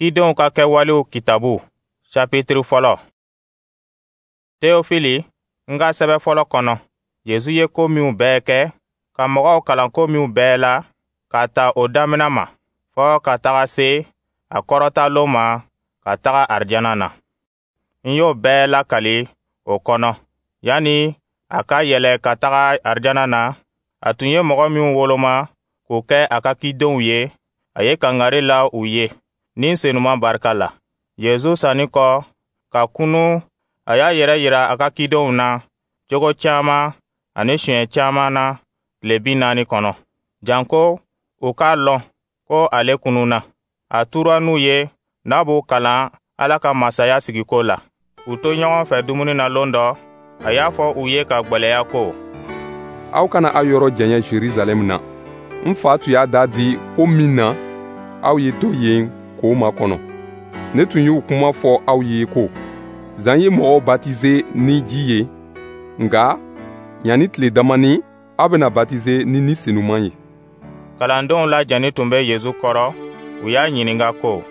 Cidenw ka kɛwalew kitabu, sapitiri fɔlɔ. Teofili, n ka sɛbɛ fɔlɔ kɔnɔ, Yezu ye ko minw bɛɛ kɛ, ka mɔgɔw kalan ko minw bɛɛ la, k'a ta o damina ma, fɔɔ ka taga se a kɔrɔtalon ma ka taga arijana na, n y'o bɛɛ lakali o kɔnɔ. Yanni a ka yɛlɛ ka taga arijana na, a tun ye mɔgɔ minw woloma k'u kɛ a ka cidenw ye, a ye kangari la u ye Ni Senuman barika la. Yezu sanni kɔ ka kunu, a y'a yɛrɛ yira a ka cidenw na cogo caman ani siɲɛ caman na tile 40 kɔnɔ, janko u k'a lɔn ko ale kununna. A tura n'u ye n'a b'u kalan Ala ka masaya sigiko la. U to ɲɔgɔn fɛ dumuni na lon dɔ, a y'a fɔ u ye ka gwɛlɛya ko: Aw kana aw yɔrɔ janya Jerusalɛm na. N fa tun y'a da di ko min na, aw ye to yen k'o makɔnɔ. Ne tun y'o kuma fɔ aw ye ko Zan ye mɔgɔw batize ni ji ye, nka yanni tile damani, aw bɛna batize ni Ni Senuman ye. Kalandenw lajɛnin tun bɛ Yezu kɔrɔ, u y'a ɲininka ko: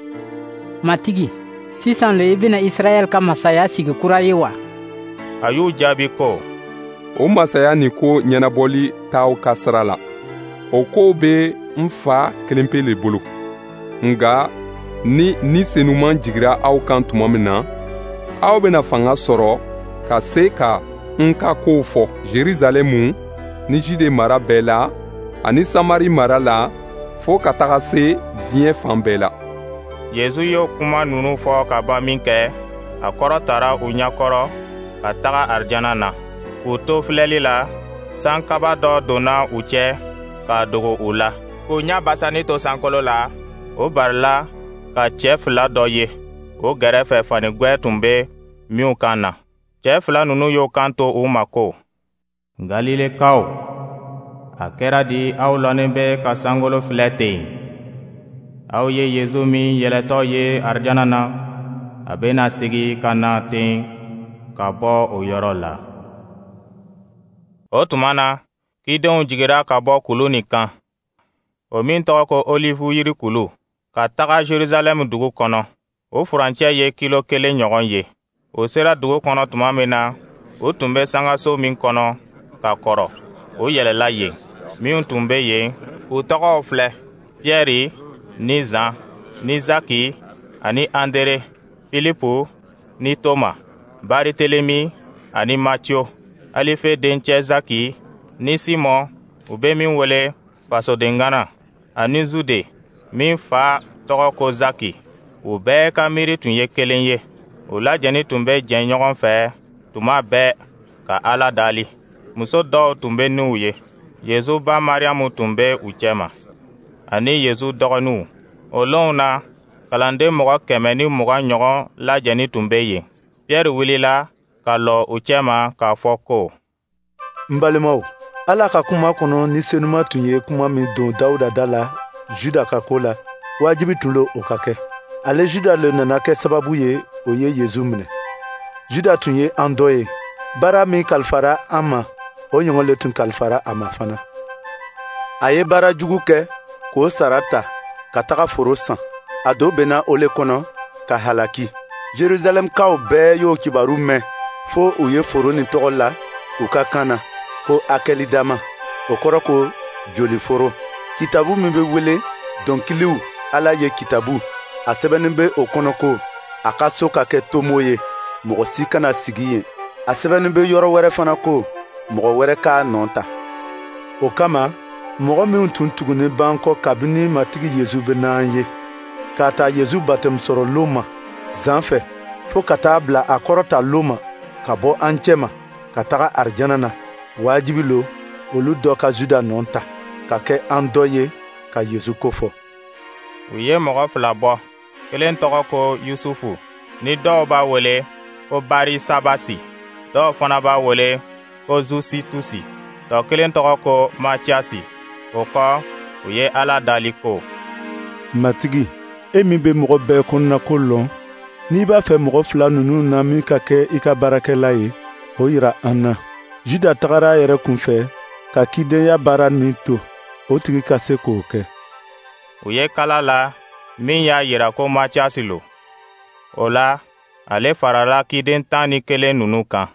Matigi, sisan le i bɛna Israɛl ka masaya sigi kura ye wa? A y'u jaabi ko: O masaya nin ko ɲɛnabɔli t'aw ka sira la. O kow bɛ n Fa kelenpe le bolo. Nka ni Ni Senuman jigira aw kan tuma min na, aw bɛna fanga sɔrɔ ka se ka n ka kow fɔ Jerusalɛmu ni Jude mara bɛɛ la ani Samari mara la, fo ka taga se diɲɛ fan bɛɛ la. Yezu y'o kuma ninnu fɔ ka ban minkɛ, a kɔrɔtara u ɲɛkɔrɔ ka taga arijana na. K'u to filɛli la, sankaba dɔ donna u cɛ k'a dogo u la. K'u ɲɛ basanni to sankolo la, o barila ka cɛ fila dɔ ye o gɛrɛfɛ, fanigwɛ tun bɛ minw kan na. Cɛ fila ninnu y'o kan to u ma ko: Galilekaw, a kɛra di aw lɔnin bɛ ka sankolo filɛ ten? Aw ye Yezu min yɛlɛtɔ ye arijana na, a bɛna sigi ka na ten ka bɔ o yɔrɔ la. O tuma na, cidenw jigira ka bɔ kulu nin kan, o min tɔgɔ ko Olivu yiri kulu, ka taga Jerusalɛmu dugu kɔnɔ. O furancɛ ye kilo 1 ɲɔgɔn ye. O sera dugu kɔnɔ tuma min na, u tun bɛ sangaso min kɔnɔ ka kɔrɔ, o yɛlɛla yen. Minw tun bɛ yen, u tɔgɔw filɛ: Piyɛri ni Zan ni Zaki ani Andere, Filipu ni Toma, Baritelemi ani Matiyo, Alife dencɛ Zaki ni Simɔn, u bɛ min wele Fasodengana, ani Zude min fa tɔgɔ ko Zaki. U bɛɛ ka miiri tun ye kelen ye. U lajɛnin tun bɛ jɛ ɲɔgɔn fɛ tuma bɛɛ ka Ala dali. Muso dɔw tun bɛ n'u ye. Yezu ba Mariyamu tun bɛ u cɛma, ani Yezu dɔgɔninw. O lonw na, kalanden mɔgɔ 120 ɲɔgɔn lajɛnin tun bɛ yen. Piyɛri wulila ka lɔ u cɛma k'a fɔ ko: N balimaw, Ala ka kuma kɔnɔ, Ni Senuma tun ye kuma min don Dawuda da la Juda ka ko la, wajibi tun lo o ka kɛ. Ale Juda le nana kɛ sababu ye o ye Yezu minɛ. Juda tun ye an dɔ ye. Baara min kalifara an ma, o ɲɔgɔn le tun kalifara a ma fana. A ye baara jugu kɛ k'o sara ta ka taga foro san. A do benna o le kɔnɔ ka halaki. Jerusalɛmkaw bɛɛ y'o kibaru mɛn, fo u ye foro nin tɔgɔ la u ka kan na ko Akɛlidama, o kɔrɔ ko joliforo. Kitabu min bɛ wele Dɔnkiliw Ala ye kitabu, a sɛbɛnnin bɛ o kɔnɔ ko: A ka so ka kɛ tomo ye, mɔgɔ si kana sigi yen. A sɛbɛnnin bɛ yɔrɔ wɛrɛ fana ko: Mɔgɔ wɛrɛ k'a nɔ ta. O kama, mɔgɔ minw tun tugunin b'an kɔ kabini Matigi Yezu bɛ n'an ye, k'a ta Yezu batɛmu sɔrɔ lon ma Zan fɛ, fo ka taa bila a kɔrɔta lon ma ka bɔ an cɛma ka taga arijana na, wajibi lo olu dɔ ka Juda nɔ ta, ka kɛ an dɔ ye ka Yezu ko fɔ. U ye mɔgɔ fila bɔ, kelen tɔgɔ ko Yusufu, ni dɔw b'a wele ko Barisabasi, dɔw fana b'a wele ko Zusitusi, tɔ kelen tɔgɔ ko Matiyasi. O kɔ, u ye Ala dali ko: Matigi, e min bɛ mɔgɔ bɛɛ kɔnɔnako lɔn, n'i b'a fɛ mɔgɔ fila ninnu na min ka kɛ i ka baarakɛla ye, o yira an na. Juda tagara a yɛrɛ kunfɛ ka cidenya baara min to, o tigi ka se k'o kɛ. U ye kala la Min y'a yira ko Matiyasi lo. O la, ale farala ciden 11 ninnu kan.